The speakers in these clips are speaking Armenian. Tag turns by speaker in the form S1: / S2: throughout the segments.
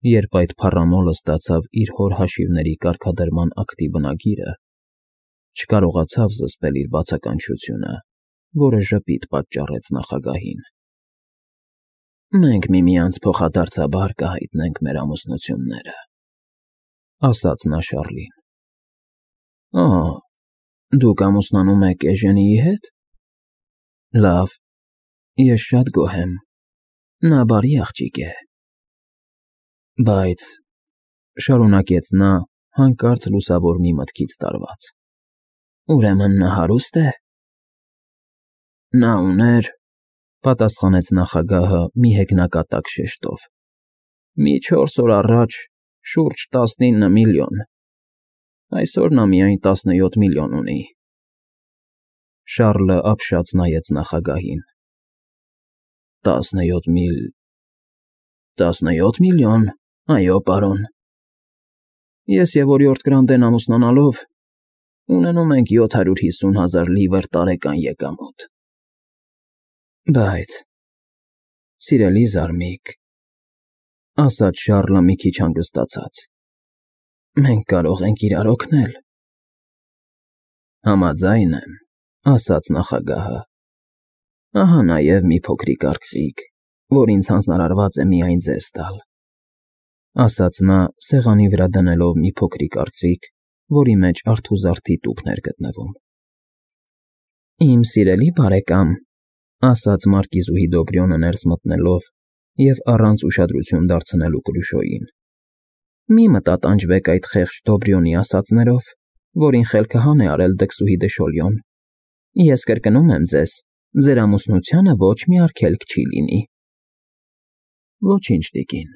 S1: Երբ այդ փառամոլը ստացավ իր հոր հաշիվների կարգադրման ակտի բնագիրը, չկարողացավ զսպել իր բացականչությունը, որը ժպիտ պատճառեց նախագահին։ «Մենք միմյանց փոխադարձաբար կհայտնենք մեր ամուսնությունները,֊ ասաց նա Շառլին։ Օ, դուք ամուսնանում եք Էժենիի հետ… Լավ, ես շատ գոհ եմ, նա բարի աղջիկ է… Բայց,֊ շարունակեց նա, հանկարծ լուսավոր մի մտքից տարված,֊ ուրեմն նա հարուստ է… Նա ուներ,֊ պատասխանեց նախագահը մի հեգնակատակ շեշտով,֊ մի 4 օր առաջ շուրջ 19 միլիոն, այսօր նա միայն 17 միլիոն ունի… Շառլը ապշած նայեց նախագահին։ 17 միլիոն, այո, պարոն… Ես և օրիորդ Գրանտեն ամուսնանալով ունենում ենք 750,000 լիվր տարեկան եկամուտ… Բայց, սիրելի զարմիկ,֊ ասաց Շառլը մի քիչ հանգստացած,֊ մենք կարող ենք իրար օգնել… Համաձայն եմ,֊ ասաց նախագահը,֊ ահա նաև մի փոքրիկ արկղիկ, որ ինձ հանձնարարված է միայն ձեզ տալ,֊ ասաց նա, սեղանի վրա դնելով մի փոքրիկ արկղիկ, որի մեջ արթուզարդի տուփն էր գտնվում։ Իմ սիրելի բարեկամ,֊ ասաց մարկիզուհի Դոբրյոնը ներս մտնելով և առանց ուշադրություն դարձնելու Կրուշոյին,֊ մի մտատանջվեք այդ խեղճ Դոբրյոնի ասածներով, որին խելքահան է արել դքսուհի դշոլյոն… Ես կրկնում եմ ձեզ, ձեր ամուսնությանը ոչ մի արգելք չի լինի… Ոչինչ, տիկին,֊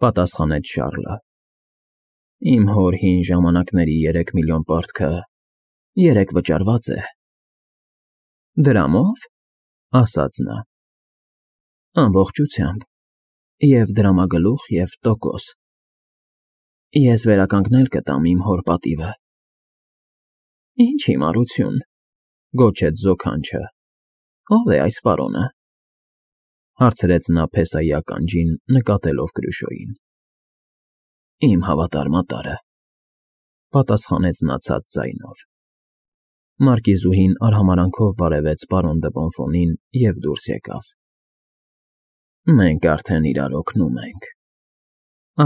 S1: պատասխանեց Շառլը,֊ իմ հոր հին ժամանակների 3 միլիոն պարտքը երեկ վճարված է… Դրամո՞վ,֊ ասաց նա։ Ամբողջությամբ, և դրամագլուխ, և տոկոս… Ես վերականգնել կտամ իմ հոր պատիվը… Ինչ հիմարություն,֊ գոչեց զոքանչը,֊ ո՞վ է այս պարոնը,֊ հարցրեց նա փեսայի ականջին, նկատելով Կրուշոյին։ Իմ հավատարմատարը,֊ պատասխանեց նա ցած ձայնով։ Մարկիզուհին արհամարհանքով բարևեց պարոն դը Բոնֆոնին և դուրս եկավ։ Մենք արդեն իրար օգնում ենք,֊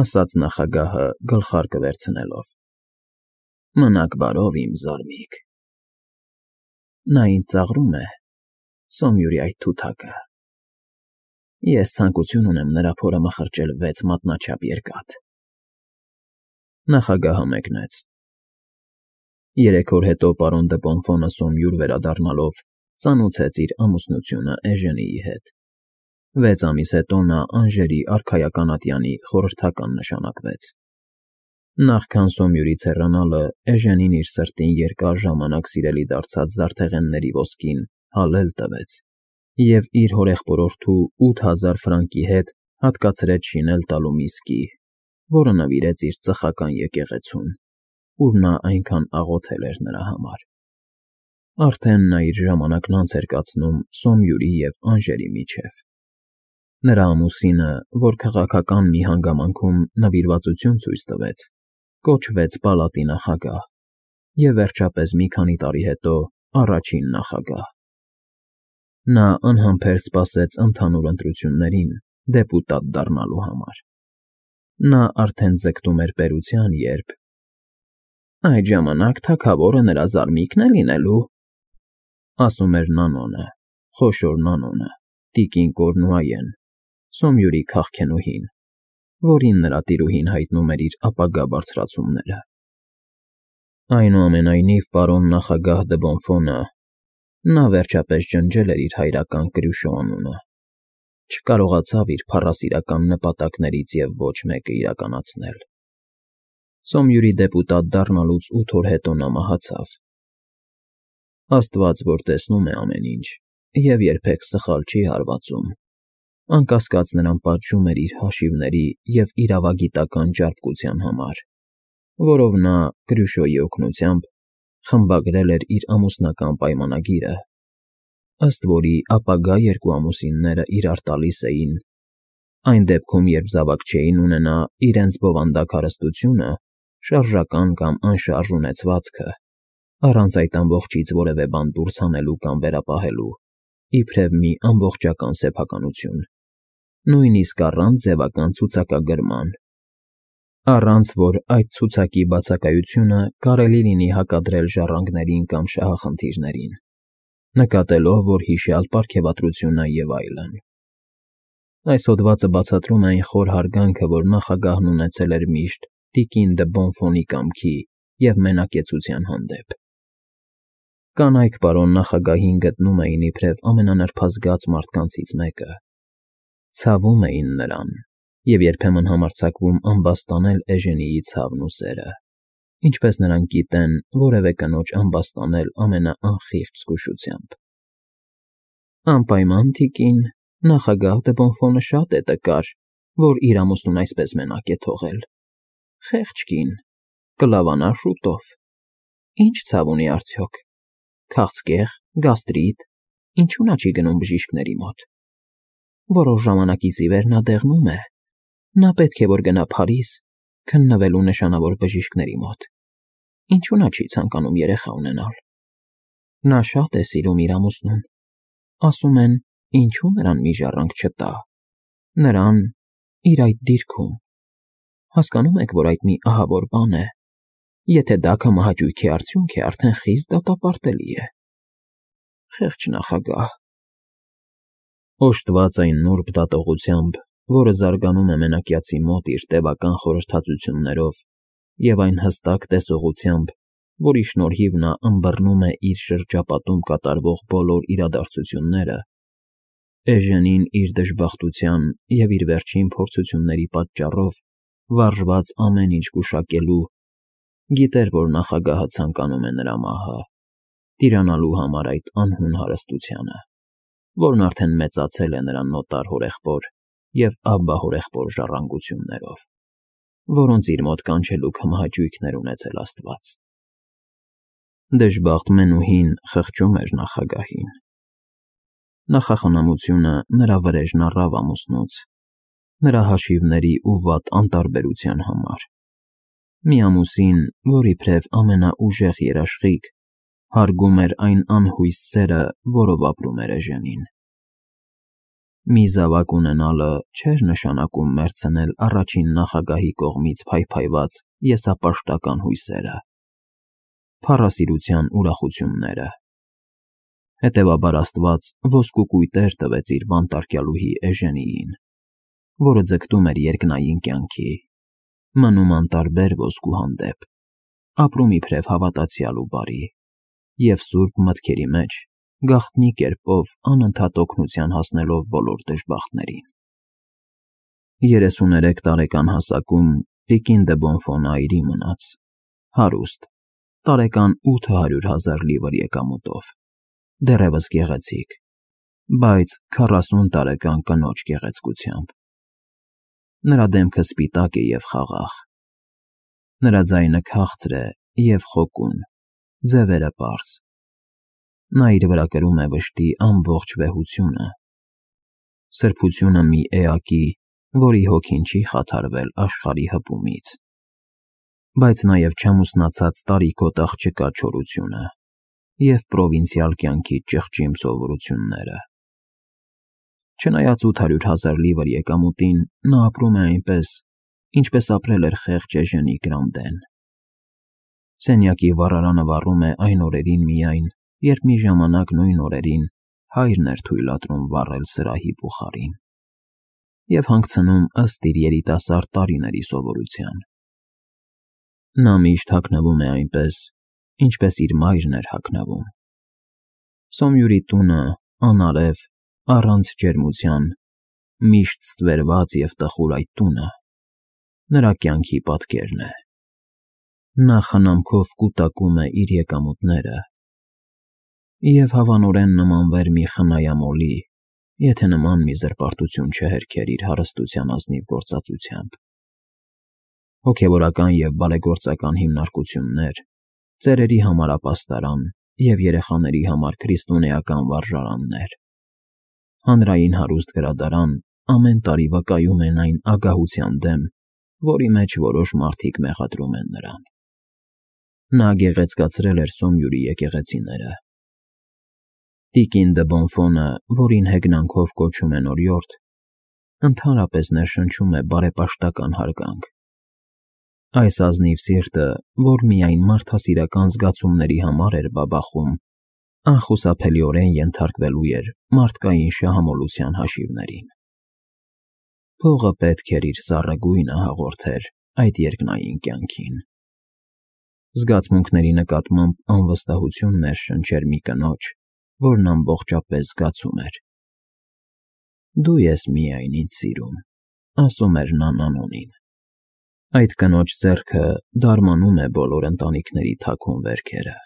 S1: ասաց նախագահը գլխարկը վերցնելով։ Մնաք բարով, իմ զարմիկ… Նա ինձ ծաղրում է, Սոմյուրի այդ թութակը… Ես ցանկություն ունեմ նրա փորը մխրճել 6 մատնաչափ երկաթ… Նախագահը մեկնեց։ 3 օր հետո պարոն դը Պոմֆոնը Սոմյուր վերադառնալով ծանուցեց իր ամուսնությունը Էժենիի հետ։ 6 ամիս հետո նա Անժերի արքայական ատյանի խորհրդական նշանակվեց։ Նախքան Սոմյուրից հեռանալը Էժենին իր սրտին երկար ժամանակ սիրելի դարձած զարդեղենների ոսկին հալել տվեց և իր հորեղբորորդու 8000 ֆրանկի հետ հատկացրեց շինել տալու մի սկի, որը նվիրեց իր ծխական եկեղեցուն, ուր նա այնքան աղոթել էր նրա համար։ Արդեն նա իր ժամանակն անց էր կացնում Սոմյուրի և Անժերի միջև։ Նրա ամուսինը, որ քաղաքական մի հանգամանքում նվիրվածություն ցույց տվեց, կոչվեց պալատի նախագահ և, վերջապես, մի քանի տարի հետո առաջին նախագահ։ Նա անհամբեր սպասեց ընդհանուր ընտրություններին դեպուտատ դառնալու համար։ Նա արդեն ձգտում էր պետության, երբ… Այդ ժամանակ թագավորը նրա զարմիկն է լինելու,֊ ասում էր Նանոնը, խոշոր Նանոնը, տիկին Կորնուայեն, Սոմյուրի քաղքենուհին, որին նրա տիրուհին հայտնում էր իր ապագա բարձրացումները։ Այնուամենայնիվ, պարոն նախագահ դը Բոնֆոնը… նա վերջապես ջնջել էր իր հայրական Կրյուշո անունը, չկարողացավ իր փառասիրական նպատակներից և ոչ մեկը իրականացնել։ Սոմյուրի դեպուտատ դառնալուց 8 օր հետո նա մահացավ։ Աստված, որ տեսնում է ամեն ինչ և երբեք սխալ չի հարվածում, անկասկած նրան պատժում էր իր հաշիվների և իրավագիտական ճարպկության համար, որով նա, Կրյուշոյի օգնությամբ, խմբագրել էր իր ամուսնական պայմանագիրը, ըստ որի ապագա երկու ամուսինները իրար տալիս էին Այն դեպքում, երբ զավակ չէին ունենա իրենց բովանդակ հարստությունը, շարժական կամ անշարժ ունեցվածքը, առանց այդ ամբողջից որևէ բան դուրս հանելու կամ վերապահելու, իբրև մի ամբողջական սեփականություն, նույնիսկ առանց ձևական ցուցակագրման, առանց որ այդ ցուցակի բացակայությունը կարելի լինի հակադրել ժառանգներին կամ շահախնդիրներին, նկատելով, որ հիշյալ պարգևատրությունը եւ այլն։ Այս հոդվածը բացատրում է այն խոր հարգանքը, որ նախագահն ունեցել էր միշտ տիկին դը Բոնֆոնի կամքի և մենակեցության հանդեպ։ Կանայք պարոն նախագահին գտնում էին իբրև ամենանրբազգաց մարդկանցից մեկը, ցավում էին նրան և երբեմն համարձակվում ամբաստանել Էժենիի ցավն ու սերը, ինչպես նրանք գիտեն որևէ կնոջ ամբաստանել ամենաանխիղճ զգուշությամբ։ Անպայման, թիկին, նախագահ դը Բոնֆոնը շատ է տկար, որ իր ամուսնուն այսպես մենակ է թողել։ Խեղճ կին, կլավանա շուտով։ Ինչ ցավ ունի արդյոք։ Քաղցկեղ, գաստրիտ, ինչու նա չի գնում բժիշկների մոտ։ Որոշ ժամանակից ի վեր նա դեղնում է։ Նա պետք է որ գնա Փարիզ, քննվելու նշանավոր բժիշկների մոտ։ Ինչու նա չի ցանկանում երեխա ունենալ։ Նա շատ է սիրում իր ամուսնուն։ Ասում են, ինչու նրան մի ժառանգ չտա։ Նրան իր այդ դիրքում։ Հասկանում եք, որ այդ մի ահավոր բան է։ Եթե դա կամահաճույքի արդյունք է, արդեն խիստ դատապարտելի է։ Խեղճ նախագահ։ Օժտված այն նուրբ դատողությամբ, որը զարգանում է մենակյացի մոտ իր տևական խորհրդածություններով և այն հստակ տեսողությամբ, որի շնորհիվ նա ըմբռնում է իր շրջապատում կատարվող բոլոր իրադարձությունները, Էժենին իր դժբախտության և իր վերջին փորձությունների պատճառով վարժված ամեն ինչ գուշակելու, գիտեր, որ նախագահը ցանկանում է նրա մահը, տիրանալու համար այդ անհուն հարստությանը, որն արդեն մեծացել է նրա նոտար հորեղբոր և աբբա հորեղբոր ժառանգություններով, որոնց իր մոտ կանչելու կամահաճույքներ ունեցել Աստված։ Դժբախտ մենուհին խղճում էր նախագահին։ Նախախնամությունը նրա վրեժն առավ ամուսնուց, նրա հաշիվների ու վատ անտարբերության համար։ Մի ամուսին, որ իբրև ամենաուժեղ երաշխիք, հարգում էր այն անհույս սերը, որով ապրում էր Էժենին։ Մի զավակ ունենալը չէր նշանակում մերձնել առաջին նախագահի կողմից փայփայված եսապաշտական հույսերը, փառասիրության ուրախությունները։ Հետևաբար Աստված ոսկու կույտեր տվեց իր բանտարկյալուհի Էժենիին, որը ձգտում էր երկնային կյանքի, մնում անտարբեր ոսկու հանդեպ, ապրում իբրև հավատացյալ ու բարի, և սուրբ մտքերի մեջ գաղտնի կերպով անընդհատ օգնության հասնելով բոլոր դժբախտներին։ 33 տարեկան հասակում տիկին դը Բոնֆոնը այրի մնաց, հարուստ, տարեկան 800,000 լիվր եկամուտով, դեռևս գեղեցիկ, բայց 40 տարեկան կնոջ գեղեցկությամբ։ Նրա դեմքը սպիտակ է և խաղաղ։ Նրա ձայնը քաղցր է և խոկուն, ձևերը պարզ։ Նա իր վրա կրում է վշտի ամբողջ վեհությունը, սրբությունը մի էակի, որի հոգին չի խաթարվել աշխարհի հպումից, բայց նաև չամուսնացած տարիքոտ աղջկա չորությունը և պրովինցիալ կյանքի ճղճիմ սովորությունները։ Չնայած 800,000 լիվր եկամուտին, նա ապրում է այնպես, ինչպես ապրել էր խեղճ Էժենի Գրանդեն։ Սենյակի վառարանը վառում է այն օրերին միայն, երբ մի ժամանակ նույն օրերին հայրն էր թույլատրում վառել սրահի բուխարին և հանգցնում ըստ իր երիտասարդ տարիների սովորության։ Նա միշտ հագնվում է այնպես, ինչպես իր մայրն էր հագնվում։ Սոմյուրի տունը, անարև, առանց ջերմության, միշտ ստվերված և տխուր այդ տունը նրա կյանքի պատկերն է։ Նա խնամքով կուտակում է իր եկամուտները և հավանորեն նմանվեր մի խնայամոլի, եթե նման մի զրպարտություն չհերքեր իր հարստության ազնիվ գործածությամբ։ Հոգևորական և բարեգործական հիմնարկություններ, ծերերի համար ապաստարան և երեխաների համար քրիստոնեական վարժարաններ, հանրային հարուստ գրադարան ամեն տարի վկայում են այն ագահության դեմ, որի մեջ որոշ մարդիկ մեղադրում են նրան։ Նա գեղեցկացրել էր Սոմյուրի եկեղեցիները։ Տիկին դը Բոնֆոնը, որին հեգնանքով կոչում են օրիորդ, ընդհանրապես ներշնչում է բարեպաշտական հարգանք։ Այս ազնիվ սիրտը, որ միայն մարդասիրական զգացումների համար էր բաբախում, անխուսափելիորեն ենթարկվելու էր մարդկային շահամոլության հաշիվներին։ Փողը պետք էր իր սառը գույնը հաղորդեր այդ երկնային կյանքին։ Զգացմունքների նկատմամբ անվստահություն ներշնչեր մի կնոջ, որն ամբողջապես զգացում էր։ «Դու ես միայն ինձ սիրում», ասում էր նա Նանոնին։ Այդ կնոջ ձեռքը դարմանում է բոլոր ընտանիքների թաքուն վերքերը։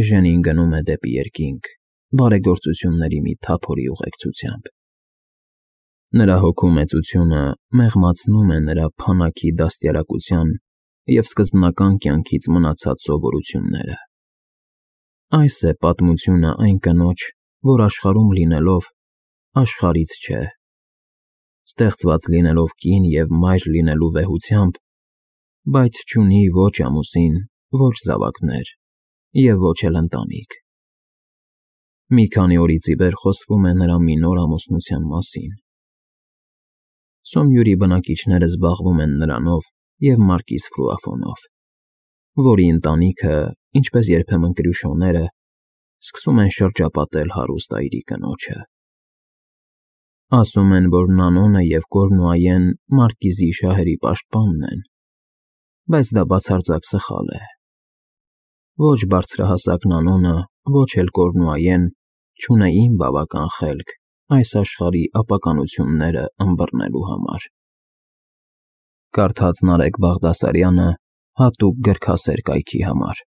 S1: Էժենին գնում է դեպի երկինք, բարեգործությունների մի թափորի ուղեկցությամբ։ Նրա հոգու մեծությունը մեղմացնում է նրա փանաքի դաստիարակության և սկզբնական կյանքից մնացած սովորությունները։ Այս է պատմությունը այն կնոջ, որ աշխարհում լինելով, աշխարհից չէ, ստեղծված լինելով կին և մայր լինելու վեհությամբ, բայց չունի ոչ ամուսին, ոչ զավակներ և ոչ էլ ընտանիք։ Մի քանի օրից ի վեր խոսվում է նրա մի նոր ամուսնության մասին։ Սոմյուրի բնակիչները զբաղվում են նրանով և մարկիս Ֆրուաֆոնով, որի ընտանիքը, ինչպես երբեմն Կրյուշոները, սկսում են շրջապատել հարուստ այրի կնոջը։ Ասում են, որ Նանոնը և Կորնուայեն մարկիզի շահերի պաշտպանն են, բայց դա բացարձակ սխալ է։ Ոչ բարձրահասակ Նանոնը, ոչ էլ Կորնուայեն չունեին բավական խելք այս աշխարհի ապականությունները ըմբռնելու համար։ Կարդաց Նարեկ Բաղդասարյանը հատուկ գրքասեր կայքի համար։